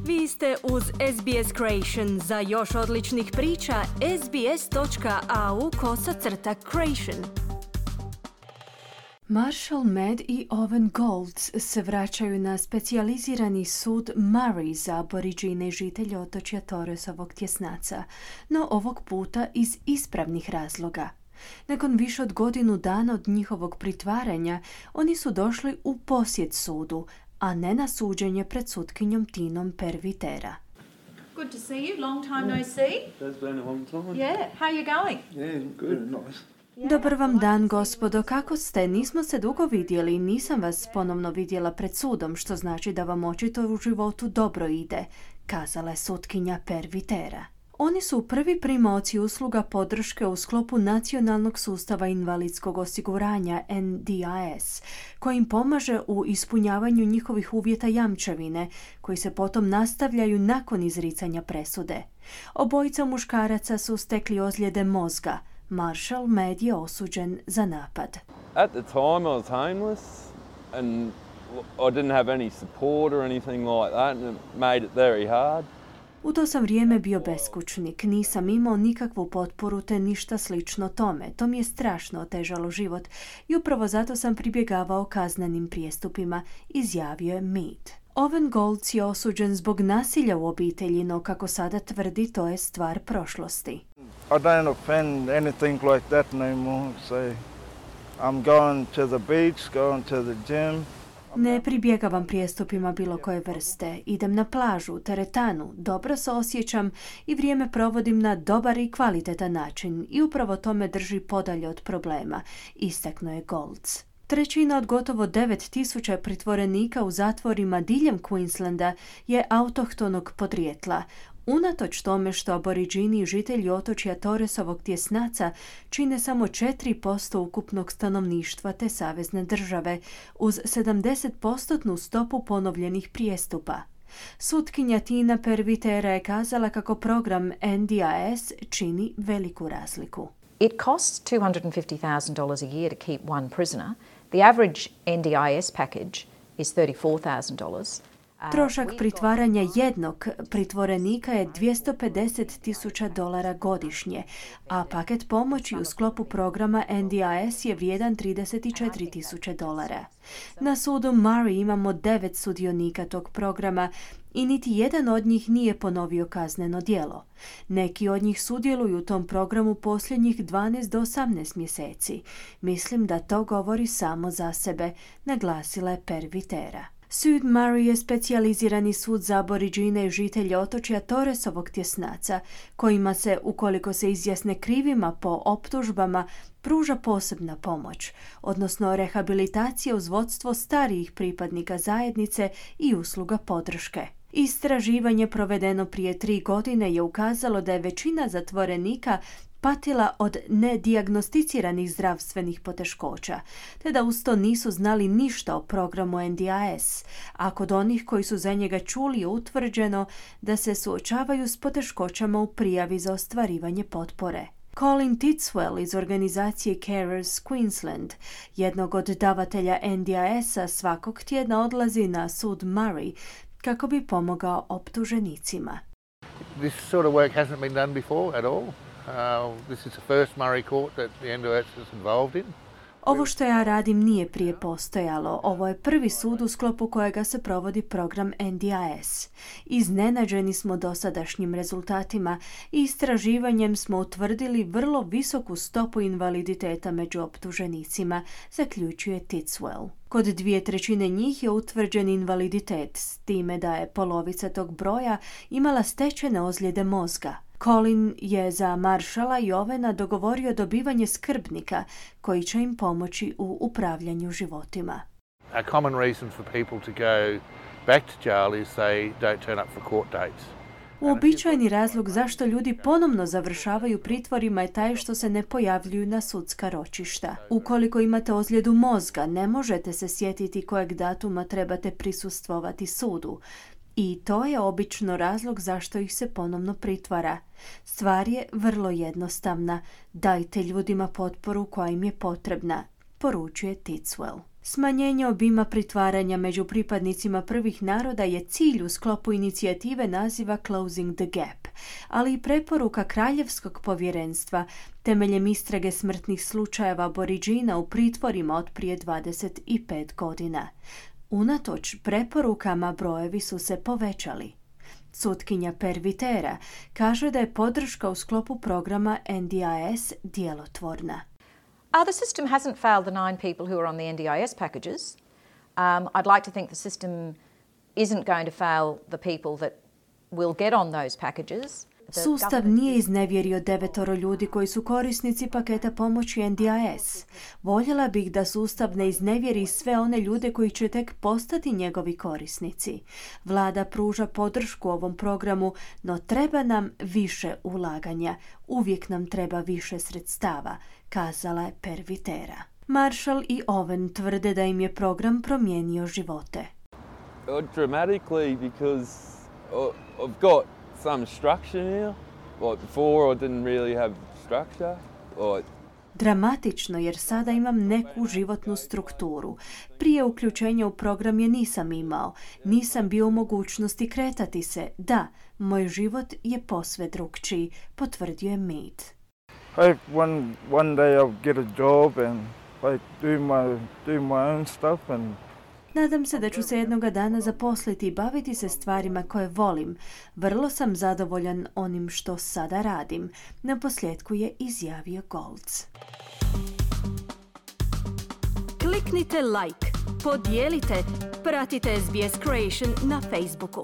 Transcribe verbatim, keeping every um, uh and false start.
Vi ste uz S B S Creation. Za još odličnih priča, sbs.au kosacrta creation. Marshall Mead i Owen Golds se vraćaju na specijalizirani sud Murray za aboriđine žitelje otočja Torresovog tjesnaca, no ovog puta iz ispravnih razloga. Nakon više od godinu dana od njihovog pritvaranja, oni su došli u posjet sudu, a ne na suđenje pred sutkinjom Tinom Pervitera. Good to see you. Long time no see. It's been a long time. Yeah. How are you going? Yeah, good. Nice. Dobar vam dan, gospodo, kako ste? Nismo se dugo vidjeli i nisam vas ponovno vidjela pred sudom, što znači da vam očito u životu dobro ide, kazala je sutkinja Pervitera. Oni su prvi primaoci usluga podrške u sklopu Nacionalnog sustava invalidskog osiguranja N D I S, koji im pomaže u ispunjavanju njihovih uvjeta jamčevine, koji se potom nastavljaju nakon izricanja presude. Obojica muškaraca su stekli ozljede mozga. Marshall Mead je osuđen za napad. At the time I was homeless and I didn't have any support or anything like that and it made it very hard. U to sam vrijeme bio beskućnik, nisam imao nikakvu potporu te ništa slično tome. To mi je strašno otežalo život i upravo zato sam pribjegavao kaznenim prijestupima, izjavio je Mead. Owen Golds je osuđen zbog nasilja u obitelji, no kako sada tvrdi, to je stvar prošlosti. I don't offend anything like that no more, so I'm going to the beach, going to the gym. Ne pribjegavam prijestupima bilo koje vrste. Idem na plažu, teretanu, dobro se osjećam i vrijeme provodim na dobar i kvalitetan način i upravo to me drži podalje od problema, istaknuo je Golds. Trećina od gotovo devet tisuća pritvorenika u zatvorima diljem Queenslanda je autohtonog podrijetla, unatoč tome što aboriđini i žitelji otočja Torresovog tjesnaca čine samo četiri posto ukupnog stanovništva te savezne države, uz sedamdeset posto stopu ponovljenih prijestupa. Sutkinja Tina Pervitera je kazala kako program N D I S čini veliku razliku. It costs two hundred fifty thousand dollars a year to keep one prisoner. The average N D I S package is thirty-four thousand dollars. Trošak pritvaranja jednog pritvorenika je dvjesto pedeset tisuća dolara godišnje, a paket pomoći u sklopu programa N D I S je vrijedan trideset četiri tisuće dolara. Na sudu Murray imamo devet sudionika tog programa i niti jedan od njih nije ponovio kazneno djelo. Neki od njih sudjeluju u tom programu posljednjih dvanaest do osamnaest mjeseci. Mislim da to govori samo za sebe, naglasila je Pervitera. Sud Murray je specijalizirani sud za aboriđine i žitelje otočja Torresovog tjesnaca, kojima se, ukoliko se izjasne krivima po optužbama, pruža posebna pomoć, odnosno rehabilitacija uz vodstvo starijih pripadnika zajednice i usluga podrške. Istraživanje provedeno prije tri godine je ukazalo da je većina zatvorenika patila od nedijagnosticiranih zdravstvenih poteškoća, te da uz to nisu znali ništa o programu N D I S, a kod onih koji su za njega čuli je utvrđeno da se suočavaju s poteškoćama u prijavi za ostvarivanje potpore. Colin Titswell iz organizacije Carers Queensland, jednog od davatelja N D I S-a, svakog tjedna odlazi na sud Murray kako bi pomogao optuženicima. This sort of work hasn't been done before at all. Uh, this is the first Murray court that the N D I S is involved in. Ovo što ja radim nije prije postojalo. Ovo je prvi sud u sklopu kojega se provodi program N D I S. Iznenađeni smo dosadašnjim rezultatima i istraživanjem smo utvrdili vrlo visoku stopu invaliditeta među optuženicima, zaključuje Titswell. Kod dvije trećine njih je utvrđen invaliditet, s time da je polovica tog broja imala stečene ozljede mozga. Colin je za Marshalla i Owena dogovorio dobivanje skrbnika koji će im pomoći u upravljanju životima. A common reason for people to go back to jail is they don't turn up for court dates. Uobičajeni razlog zašto ljudi ponovno završavaju pritvorima je taj što se ne pojavljuju na sudska ročišta. Ukoliko imate ozljedu mozga, ne možete se sjetiti kojeg datuma trebate prisustvovati sudu. I to je obično razlog zašto ih se ponovno pritvara. Stvar je vrlo jednostavna. Dajte ljudima potporu koja im je potrebna, poručuje Titswell. Smanjenje obima pritvaranja među pripadnicima prvih naroda je cilj u sklopu inicijative naziva Closing the Gap, ali i preporuka Kraljevskog povjerenstva temeljem istrage smrtnih slučajeva Aboriđina u pritvorima od prije dvadeset pet godina. Unatoč preporukama brojevi su se povećali. Sutkinja Pervitera kaže da je podrška u sklopu programa N D I S djelotvorna. Uh, the system hasn't failed the nine people who are on the N D I S packages. Um, I'd like to think the system isn't going to fail the people that will get on those packages. Sustav nije iznevjerio devetoro ljudi koji su korisnici paketa pomoći N D I S. Voljela bih da sustav ne iznevjeri sve one ljude koji će tek postati njegovi korisnici. Vlada pruža podršku ovom programu, no treba nam više ulaganja. Uvijek nam treba više sredstava, kazala je Pervitera. Marshall i Owen tvrde da im je program promijenio živote. Uh, dramatically because uh, I've got some structure now. Like before I didn't really have structure. Like Dramatično jer sada imam neku životnu strukturu. Prije uključenja u program je nisam imao. Nisam bio u mogućnosti kretati se. Da, moj život je posve drukčiji, potvrdio je Mead. Hope one one day I'll get a job and like do my do my own stuff and Nadam se da ću se jednoga dana zaposliti i baviti se stvarima koje volim. Vrlo sam zadovoljan onim što sada radim. Na posljedku je izjavio Goltz. Kliknite like, podijelite, pratite S B S Creation na Facebooku.